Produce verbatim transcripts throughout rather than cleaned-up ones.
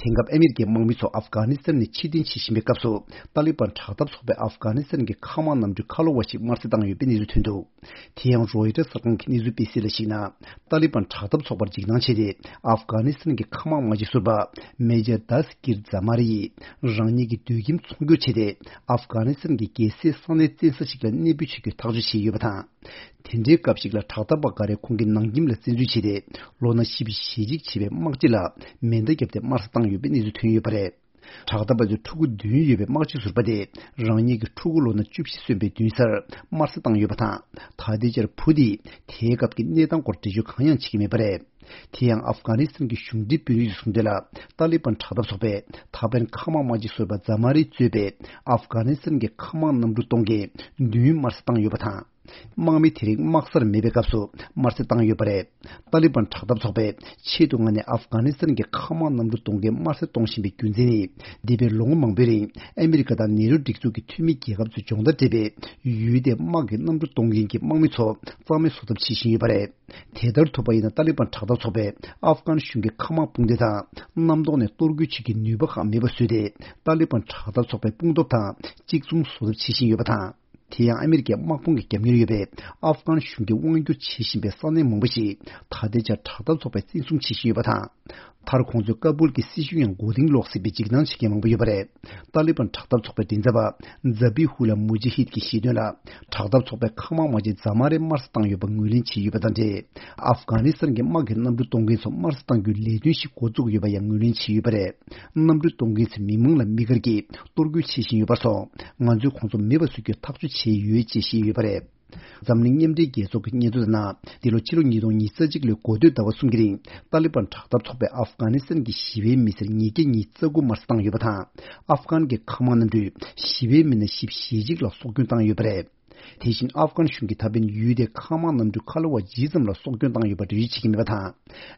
དེང་སྐབས་ཨ་མེ་རི་ཀའི་དམག་མི་ཚོ་ཨབ་གྷ་ནི་སི་ཐན་ནས་ཕྱིར་འཐེན་བྱེད་བཞིན་པའི་སྐབས་སུ། ཏཱ་ལི་བན་དྲག་འཐབ་ཚོགས་པས་ཨབ་གྷ་ནི་སི་ཐན་གྱི་མཁའ་དམག་གནམ་གྲུའི་ཁ་ལོ་བ་ཞིག་དམར་གསོད་བཏང་ཡོད་པའི་གནས་ཚུལ་ཐོན་འདུག་དེ་ཡང་རོའི་ཊར་གསར་ཁང་གི་གནས་ཚུལ་སྤེལ་གསལ་ལ་གཞིགས་ན། ཏཱ་ལི་བན་དྲག་འཐབ་ཚོགས་པར་འཇིགས་སྣང་བྱས་ཏེ། ཨབ་གྷ་ནི་སི་ཐན་གྱི་མཁའ་དམག་དམག་སྤྱི་ཟུར་པ་མེ་ཇར་དཱ་སི་ཀིར་ཛ་མ་རི་ཡིས། རང་ཉིད་ཀྱི་སྡོད་ཁྱིམ་ཚོང་སྒྱུར་བྱས་ཏེ། ཨབ་གྷ་ནི་སི་ཐན་གྱི་རྒྱལ་སའི་ས་གནས་བཙན་ས་ཞིག་ལ་གནས་སྤོས་བྱེད་རྒྱུའི་ཐག་གཅོད་བྱས་ཡོད་པ་དང་། དེ་འདྲའི་སྐབས་ཤིག་ལ་དྲག་འཐབ་པ་འགའ་རེས་ཁོང་གི་ནང་ཁྱིམ་ལ་བཙན་འཛུལ་བྱས་ཏེ། ལོ་ན་བཞི་བཅུ་ཞེ་གཅིག་བྱེད་པའི་དམག་སྤྱི་ལ་མེ་མདའ་བརྒྱབ་སྟེ་དམར་གསོད་བཏང་ཡོད་པའི་གནས་ཚུལ་ཐོན་ཡོད་པ་རེད། དྲག་འཐབ་པ་ཚོའི་ཕྲུ་གུ་བདུན་ཡོད་པའི་དམག་སྤྱི་ཟུར་པ་དེ། རང་ཉིད་ཀྱི་ཕྲུ་གུ་ལོ་ན་བཅུ་བཞི་སོན་པའི་མདུན་སར་དམར་གསོད་བཏང་ཡོད་པ་དང་། ད་ལྟའི་ཆར་བུ་དེས་དེའི་སྐབས་ཀྱི་གནས་སྟངས་སྐོར་འགྲེལ་བརྗོད་གང་ཡང་བྱེད་ཀྱི་མེད་པ་རེད། དེ་ཡང་ཨབ་གྷ་ནི་སི་ཐན་གྱི་གཞུང་འབྲེལ་དཔོན་རིགས་ཀྱིས་གསུངས་དོན་ལ། ཏཱ་ལི་བན་དྲག་འཐབ་ཚོགས་པས་ད་ཕན་མཁའ་དམག་དམག་སྤྱི་ཟུར་པ་ཛ་མ་རི་གཙོས་པའི་ཨབ་གྷ་ནི་སི་ཐན་གྱི་མཁའ་དམག་གནམ་གྲུ་གཏོང་མཁན་བདུན་དམར་གསོད་བཏང་ཡོད་པ་དང་། དམག་མི་དེ་རིགས་དམག་སར་མེད་པའི་སྐབས་སུ་དམར་གསོད་བཏང་ཡོད་པ་རེད། ཏཱ་ལི་བན་དྲག་འཐབ་ཚོགས་པས་ཆེད་དུ་མངགས་ནས་ཨབ་གྷ་ནི་སི་ཐན་གྱི་མཁའ་དམག་གནམ་གྲུ་གཏོང་མཁན་དམར་གསོད་གཏོང་བཞིན་པའི་རྒྱུ་མཚན་ནི། འདས་པའི་ལོ་ངོ་མང་པོའི་རིང་ཨ་མེ་རི་ཀ་དང་ནེ་རོ་སྒྲིག་འཛུགས་ཀྱི་འཐུས་མི་རྒྱལ་ཁབ་ཚོས་སྦྱོང་བརྡར་སྤྲད་པའི་ཡུལ་དེའི་དམག་གི་གནམ་གྲུ་གཏོང་མཁན་གྱི་དམག་མི་ཚོ་རྩ་མེད་བཟོ་ཐབས་བྱེད་བཞིན་ཡོད་པ་རེད། དེ་ལྟར་ཐུབ་པ་ཡིན་ན་ཏཱ་ལི་བན་དྲག་འཐབ་ཚོགས་པས་ཨབ་གྷན་གཞུང་གི་མཁའ་དམག་དཔུང་སྡེ་དང་གནམ་ཐོག་ནས་གཏོར་རྒོལ་བྱེད་ཀྱི་ནུས་པ་ཁག་མེད་པ་བཟོས་ཏེ། ཏཱ་ལི་བན་དྲག་འཐབ་ཚོགས་པའི་དཔུང་སྟོབས་དང་གཅིག་མཚུངས་བཟོ་ཐབས་བྱེད་བཞིན་ཡོད་པ་དང་། དེ་ཡང་ཨ་མེ་རི་ཀའི་དམག་དཔུང་གི་རྒྱབ་གཉེར་ཡོད་པའི་ཨབ་གྷན་གཞུང་གིས་དབང་སྒྱུར་བྱེད་བཞིན་པའི་ས་གནས་མང་པོ་ཞིག་ད་ལྟའི་ཆར་དྲག་འཐབ་ཚོགས་པས་བཙན་བཟུང་བྱེད་བཞིན་ཡོད་པ་དང་། མཐར་ཁོང་ཚོས་ཀ་སྦུལ་གྱི་སྲིད་གཞུང་ཡང་མགོ་རྟིང་སློག་སྲིད་པའི་འཇིགས་སྣང་བྱེད་མཁན་མང་པོ་ཡོད་པ་རེད། ཏཱ་ལི་བན་དྲག་འཐབ་ཚོགས་པའི་མགྲིན་ཚབ་པ་ཛ་བྷི་ཧུ་ལ་མུ་ཇི་ཧིད་ཀྱིས་བཤད་དོན་ལ། དྲག་འཐབ་ཚོགས་པའི་མཁའ་དམག་དམག་སྤྱི་ཛ་མ་རེ་དམར་གསོད་བཏང་ཡོད་པར་ངོས་ལེན་བྱས་ཡོད་པ་དང་འབྲེལ། ཨབ་གྷ་ནི་སི་ཐན་གྱི་དམག་གི་གནམ་གྲུ་གཏོང་མཁན་ཚོ་དམར་གསོད་གཏང་རྒྱུའི་ལས་དོན་ཞིག་འགོ་བཙུགས་ཡོད་པ་ཡང་ངོས་ལེན་བྱས་ཡོད་པ་རེད། གནམ་གྲུ་གཏོང་མཁན་ཚོས་མི་མང་ལ་དམིགས་བཀར་གྱིས་གཏོར་རྒོལ་བྱེད་བཞིན་ཡོད་པར་སོང་། ང་ཚོས་ཁོང་ཚོ་མེད་པ་བཟོ་རྒྱུའི་ཐག་གཅོད་བྱས་ཡོད་ཅེས་བཤད་ཡོད་པ་རེད། འཛམ་གླིང་མཉམ་འབྲེལ་རྒྱལ་ཚོགས་ཀྱི་སྙན་ཐོ་ལྟར་ན། འདི་ལོ་ཕྱི་ལོ་ཉིས་སྟོང་ཉི་ཤུ་རྩ་གཅིག་ལོའི་འགོ་སྟོད་ཟླ་བ་གསུམ་གྱི་རིང་ཏཱ་ལི་བན་དྲག་འཐབ་ཚོགས་པས་ཨབ་གྷ་ནི་སི་ཐན་གྱི་ཞི་བའི་མི་སེར་ཉིས་བརྒྱ་ཉི་ཤུ་རྩ་དགུ་དམར་གསོད་བཏང་ཡོད་པ་དང་། ཨབ་གྷན་གྱི་མཁའ་དམག་གནམ་གྲུས་ཞི་བའི་མི་སྣ་བཞི་བཅུ་ཞེ་གཅིག་ལ་སྲོག་སྐྱོན་བཏང་ཡོད་པ་རེད། དེ་བཞིན་ཨབ་གྷན་གཞུང་གིས་ད་ཕན་ཡུལ་དེའི་མཁའ་དམག་གནམ་གྲུའི་ཁ་ལོ་བ་ཇི་ཙམ་ལ་སྲོག་སྐྱོན་བཏང་ཡོད་པ་འགྲེལ་བརྗོད་བྱེད་ཀྱི་མེད་པ་དང་།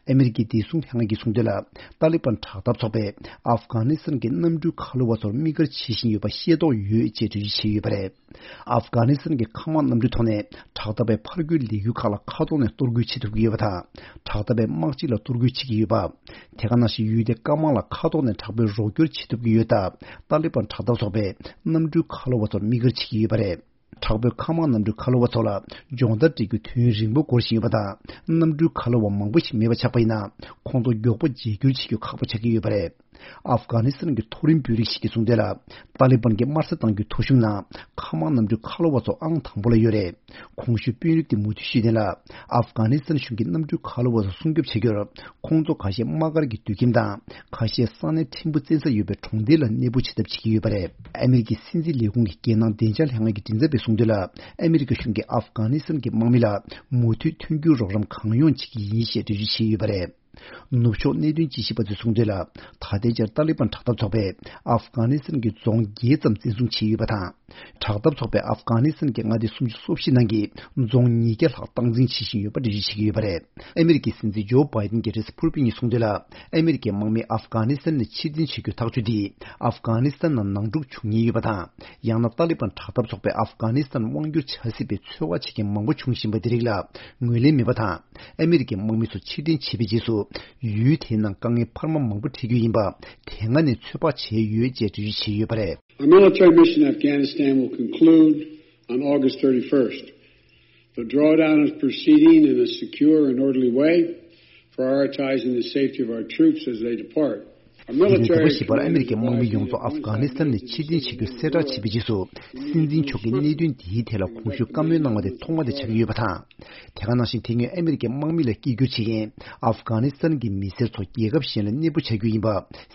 ཨ་མེ་རི་ཀའི་བདེ་སྲུང་ལྷན་ཁང་གིས་གསུངས་དོན་ལ། ཏཱ་ལི་བན་དྲག་འཐབ་ཚོགས་པས་ཨབ་གྷ་ནི་སི་ཐན་གྱི་གནམ་གྲུའི་ཁ་ལོ་བ་ཚོར་དམིགས་བཀར་བྱེད་བཞིན་ཡོད་པ་ཤེས་རྟོགས་ཡོད་ཅེས་འགྲེལ་བརྗོད་བྱས་ཡོད་པ་རེད། ཨབ་གྷ་ནི་སི་ཐན་གྱི་མཁའ་དམག་གནམ་གྲུའི་ཐོག་ནས་དྲག་འཐབ་པའི་ཕར་རྒོལ་ལས་འགུལ་ཁག་ལ་མཁའ་ཐོག་ནས་གཏོར་རྒོལ་བྱེད་ཐུབ་ཀྱི་ཡོད་པ་དང་། དྲག་འཐབ་པའི་དམག་སྤྱི་ལ་གཏོར་རྒོལ་བྱེད་ཀྱི་ཡོད་པ། དེ་ག་ནང་བཞིན་ཡུལ་དེའི་སྐམ་དམག་ལ་མཁའ་ཐོག་ནས་དྲག་པོའི་རོགས་སྐྱོར་བྱེད་ཐུབ་ཀྱི་ཡོད་སྟབས། ཏཱ་ལི་བན་དྲག་འཐབ་ཚོགས་པས་གནམ་གྲུའི་ཁ་ལོ་བ་ཚོར་དམིགས་བཀར་བྱེད་ཀྱི་ཡོད་པ་རེད། དྲག་པོའི་མཁའ་དམག་གནམ་གྲུའི་ཁ་ལོ་བ་ཚོ་ལ་སྦྱོང་བརྡར་སྤྲད་རྒྱུ་དུས་ཡུན་རིང་པོ་འགོར་བཞིན་ཡོད་པ་དང་། གནམ་གྲུའི་ཁ་ལོ་བ་མང་པོ་ཞིག་མེད་པ་ཆགས་པ་ཡིན་ན། ཁོང་ཚོ་མགྱོགས་པོ་བརྗེ་བསྒྱུར་བྱེད་རྒྱུ་ཁག་པོ་ཆགས་ཀྱི་ཡོད་པ་རེད། ཨབ་གྷ་ནི་སི་ཐན་གྱི་མཐོ་རིམ་དཔོན་རིགས་ཤིག་གིས་གསུངས་དོན་ལ། ཏཱ་ལི་བན་གྱིས་དམར་གསོད་བཏང་རྒྱུའི་ཐོ་གཞུང་ནང་མཁའ་དམག་གནམ་གྲུའི་ཁ་ལོ་བ་ཚོ་ཨང་དང་པོ་ལ་ཡོད་རེད། གོང་ཞུས་དཔོན་རིགས་དེ་མུ་མཐུད་བཤད་དོན་ལ། ཨབ་གྷ་ནི་སི་ཐན་གཞུང་གིས་གནམ་གྲུའི་ཁ་ལོ་བ་ཚོ་སྲུང་སྐྱོབ་བྱ་རྒྱུར། ཁོང་ཚོ་ཁ་ཤས་དམག་སྒར་གྱི་སྡོད་ཁྱིམ་དང་། ཁ་ཤས་ས་གནས་ཕྲན་བུ་བཙན་ས་ཡོད་པའི་གྲོང་སྡེ་ལ་གནས་སྤོ་བྱེད་ཐབས་བྱེད་ཀྱི་ཡོད་པ་རེད། ཨ་མེ་རི་ཀའི་སྲིད་འཛིན་ལས་ཁུངས་ཀྱི་རྒྱལ་ནང་བདེ་འཇགས་ལྷན་ཁང་གི་མགྲིན་ཚབ་པས་གསུངས་དོན་ལ། ཨ་མེ་རི་ཀ་གཞུང་གིས་ཨབ་གྷ་ནི་སི་ཐན་གྱི་དམག་མི་ལ་མུ་མཐུད་མཐུན་འགྱུར་རོགས་རམ་གང་ཡོང་བྱེད་ཀྱི་ཡིན་ཞེས་འགྲེལ་བརྗོད་བྱས་ཡོད་པ་རེད། ནུབ་ཕྱོགས་གནད་དོན་དཔྱད་ཞིབ་པ་ཚོས་གསུངས་དོན་ལ། ད་ལྟའི་ཆར་ཏཱ་ལི་བན་དྲག་འཐབ་ཚོགས་པས་ཨབ་གྷ་ནི་སི་ཐན་གྱི་རྫོང་བརྒྱད་ཙམ་བཙན་བཟུང་བྱས་ཡོད་པ་དང་། དྲག་འཐབ་ཚོགས་པས་ཨབ་གྷ་ནི་སི་ཐན་གྱི་མངའ་སྡེ་སུམ་ཅུ་སོ་བཞི་ནང་གི་རྫོང་ཉིས་བརྒྱ་ལྷག་སྟངས་འཛིན་བྱེད་བཞིན་ཡོད་པ་འགྲེལ་བརྗོད་བྱེད་ཀྱི་ཡོད་པ་རེད། ཨ་མེ་རི་ཀའི་སྲིད་འཛིན་ཇོ་བྷའི་ཏིན་གྱིས་རེས་གཟའ་ཕུར་བུའི་ཉིན་གསུངས་དོན་ལ། ཨ་མེ་རི་ཀའི་དམག་མིས་ཨབ་གྷ་ནི་སི་ཐན་ནས་ཕྱིར་འཐེན་བྱེད་རྒྱུའི་ཐག་གཅོད་འདིས་ཨབ་གྷ་ནི་སི་ཐན་ནང་ནང་འཁྲུག་འབྱུང་ཉེན་ཡོད་པ་དང་། ཡང་ན་ཏཱ་ལི་བན་དྲག་འཐབ་ཚོགས་པས་ཨབ་གྷ་ནི་སི་ཐན་དབང་བསྒྱུར་བྱ་སྲིད་པའི་ཚོད་དཔག་བྱེད་མཁན་མང་པོ་བྱུང་བཞིན་པ་འདི་རིགས་ལ་ངོས་ལེན་མེད་པ་དང་། ཨ་མེ་རི་ཀའི་དམག་མི་ཚོ་ཕྱིར་འཐེན་བྱས་པའི་རྗེས་སུ། ཡུལ་དེའི་ནང་དཀའ་ངལ་འཕར་མ་མང་པོ་འཕྲད་རྒྱུ་ཡིན་པ། དེ་སྔ་ནས་ཚོད་དཔག་བྱས་ཡོད་ཅེས་འགྲེལ་བརྗོད་བྱས་ཡོད་པ་རེད། Our military mission in Afghanistan will conclude on August thirty-first. The drawdown is proceeding in a secure and orderly way, prioritizing the safety of our troops as they depart. Our དེ་རིང་ཟླ་བ་བཞི་པར་ཨ་མེ་རི་ཀའི་དམག་མི་ཡོངས་རྫོགས་ཨབ་གྷ་ནི་སི་ཐན་ནས་ཕྱིར་འཐེན་བྱེད་རྒྱུ་གསལ་བསྒྲགས་བྱས་པའི་རྗེས་སུ། སྲིད་འཛིན་མཆོག་གིས་གནད་དོན་འདིའི་ཐད་ལ་གོང་ཞུས་བཀའ་མོལ་གནང་བ་དེ་ཐོག་མ་དེ་ཆགས་ཀྱི་ཡོད་པ་དང་། དེ་ག་ནང་བཞིན་དེ་སྔོན་ཨ་མེ་རི་ཀའི་དམག་མི་ལ་སྐད་སྒྱུར་བྱེད་མཁན་ཨབ་གྷ་ནི་སི་ཐན་གྱི་མི་སེར་ཚོ་རྒྱལ་ཁབ་གཞན་ལ་གནས་སྤོ་བྱ་རྒྱུ་ཡིན་པ་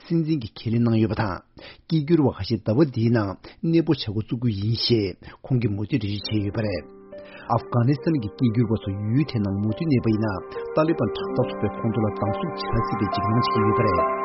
སྲིད་འཛིན་གྱིས་ཁས་ལེན་གནང་ཡོད་པ་དང་། སྐད་སྒྱུར་བ་ཁ་ཤས་ཟླ་བ་འདིའི་ནང་གནས་སྤོ་བྱ་འགོ་བཙུགས་རྒྱུ་ཡིན་ཞེས་ཁོང་གིས་མུ་མཐུད་འགྲེལ་བརྗོད་བྱས་ཡོད་པ་རེད། ཨབ་གྷ་ནི་སི་ཐན་གྱི་སྐད་སྒྱུར་བ་ཚོ་ཡུལ་དེའི་ནང་མུ་མཐུད་གནས་པ་ཡིན་ན། ཏཱ་ལི་བན་དྲག་འཐབ་ཚོགས་པས་ཁོང་ཚོ་ལ་སྡང་ཟུག་བྱ་སྲིད་པའི་འཇིགས་སྣང་བྱེད་ཀྱི་ཡོད་པ་རེད།